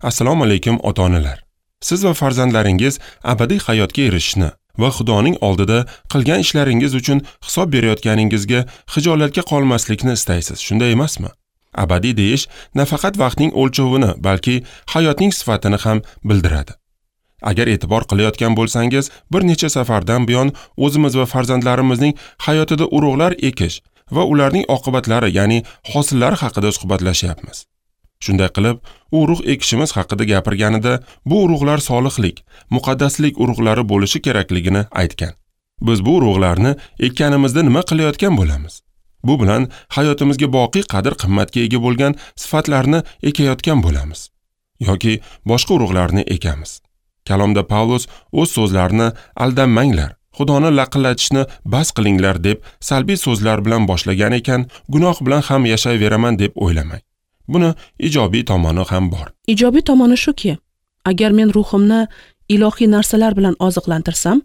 Assalomu alaykum ota-onalar. Siz va farzandlaringiz abadiy hayotga erishishni va Xudoning oldida qilgan ishlaringiz uchun hisob berayotganingizga xijolatga qolmaslikni istaysiz, shunday emasmi? Abadiy deyish nafaqat vaqtning o'lchovini, balki hayotning sifatini ham bildiradi. Agar e'tibor qilayotgan bo'lsangiz, bir necha safardan buyon o'zimiz va farzandlarimizning hayotida urug'lar ekish va ularning oqibatlari, ya'ni hosillari haqida suhbatlashyapmiz. Shunday qilib, u urug' ekishimiz haqida gapirganida, bu urug'lar solihlik, muqaddaslik urug'lari bo'lishi kerakligini aytgan. Biz bu urug'larni ekkanimizda nima qilayotgan bo'lamiz? Bu bilan hayotimizga boqiy qadr-qimmatga ega bo'lgan sifatlarni ekayotgan bo'lamiz yoki boshqa urug'larni ekamiz. Kalomda Pavlus o'z so'zlarini aldanmanglar, Xudoni laqillatishni bas qilinglar deb salbiy so'zlar bilan boshlagan ekan, gunoh bilan ham yashayveraman deb o'ylamang. Buni ijobiy tomoni ham bor. Ijobiy tomoni shuki, agar men ruhimni ilohiy narsalar bilan oziqlantirsam,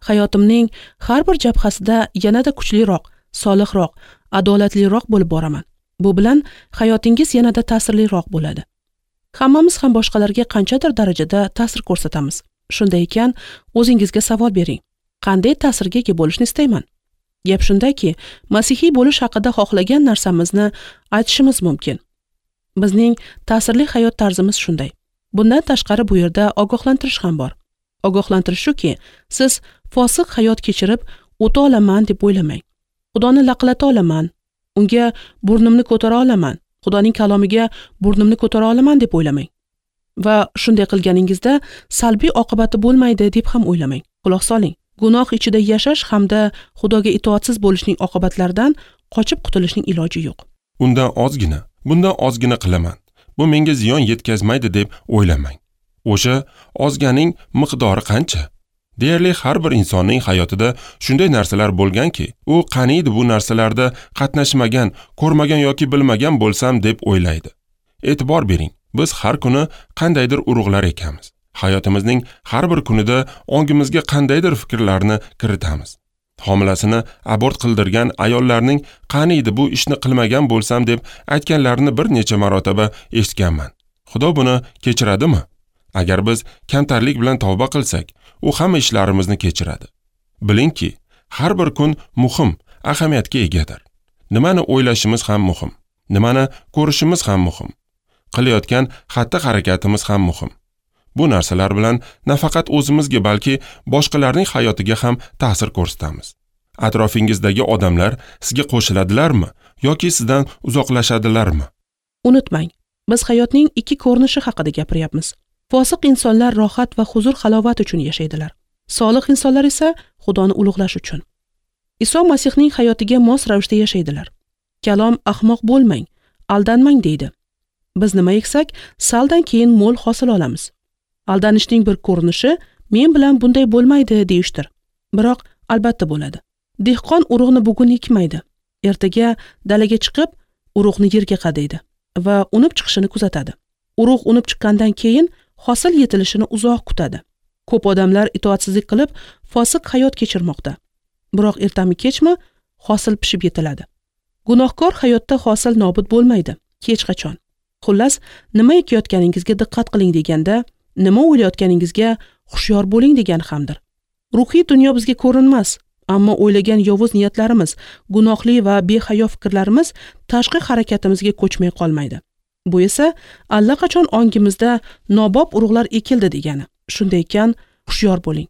hayotimning har bir jabhasida yanada kuchliroq, solihroq, adolatliroq bo'lib boraman. Bu bilan hayotingiz yanada ta'sirliroq bo'ladi. Hammamiz ham boshqalarga qanchadir darajada ta'sir ko'rsatamiz. Shunday ekan, o'zingizga savol bering. Qanday ta'sirga ega bo'lishni istayman? Gap shundaki, masihiy bo'lish haqida xohlagan narsamizni aytishimiz mumkin. Bizning ta'sirli hayot tarzimiz shunday. Bundan tashqari bu yerda ogohlantirish ham bor. Ogohlantirish shuki, siz fosiq hayot kechirib o'ta olaman deb o'ylamang. Xudoni laqillata olaman, unga burnimni ko'tara olaman, Xudoning kalomiga burnimni ko'tara olaman deb o'ylamang. Va shunday qilganingizda salbiy oqibati bo'lmaydi deb ham o'ylamang. Quloq soling. Gunoh ichida yashash hamda Xudoga itoatsiz bo'lishning oqibatlaridan qochib qutulishning iloji yo'q. Undan ozgina, bundan ozgina qilaman. Bu menga ziyon yetkazmaydi deb o'ylamang. O'sha ozganing miqdori qancha? Deyarli har bir insonning hayotida shunday narsalar bo'lganki, u qaniydi bu narsalarda qatnashmagan, ko'rmagan yoki bilmagan bo'lsam deb o'ylaydi. E'tibor bering, biz har kuni qandaydir urug'lar ekamiz. Hayotimizning har bir kunida ongimizga qandaydir fikrlarni kiritamiz. Homilasini abort qildirgan ayollarning qaniydi bu ishni qilmagan bo'lsam deb aytganlarini bir necha marotaba eshitganman. Xudo buni kechiradimi? Agar biz kamtarlik bilan tavba qilsak, u hamma ishlarimizni kechiradi. Bilingki, har bir kun muhim, ahamiyatga egadir. Nimani o'ylashimiz ham muhim, nimani ko'rishimiz ham muhim, qilayotgan xatti-harakatimiz ham muhim. Bu narsalar bilan nafaqat o'zimizga, balki boshqalarning hayotiga ham ta'sir ko'rsatamiz. Atrofingizdagi odamlar sizga qo'shiladilarmi yoki sizdan uzoqlashadilarmi? Unutmang, biz hayotning ikki ko'rinishi haqida gapiryapmiz. Fosiq insonlar rohat va huzur-halovat uchun yashaydilar. Solih insonlar esa Xudoni ulug'lash uchun. Iso Masihning hayotiga mos ravishda yashaydilar. Kalom ahmoq bo'lmang, aldanmang deydi. Biz nima eksak, saldan keyin mo'l hosil olamiz. Aldanishning bir ko'rinishi men bilan bunday bo'lmaydi deyishdir. Biroq albatta bo'ladi. Dehqon urug'ni bugun ekmaydi. Ertaga dalaga chiqib urug'ni yerga qadaydi va unib chiqishini kuzatadi. Urug' unib chiqqandan keyin hosil yetilishini uzoq kutadi. Ko'p odamlar itoatsizlik qilib fosiq hayot kechirmoqda. Biroq ertami kechmi hosil pishib yetiladi. Gunohkor hayotda hosil nobud bo'lmaydi, hech qachon. Xullas, nima ekayotganingizga diqqat qiling deganda, nima o'ylayotganingizga hushyor bo'ling degan hamdir. Ruhiy dunyo bizga ko'rinmas, ammo o'ylagan yovuz niyatlarimiz, gunohli va behayo fikrlarimiz tashqi harakatimizga ko'chmay qolmaydi. Bu esa allaqachon ongimizda nobob urug'lar ekildi degani. Shunday ekan, hushyor bo'ling.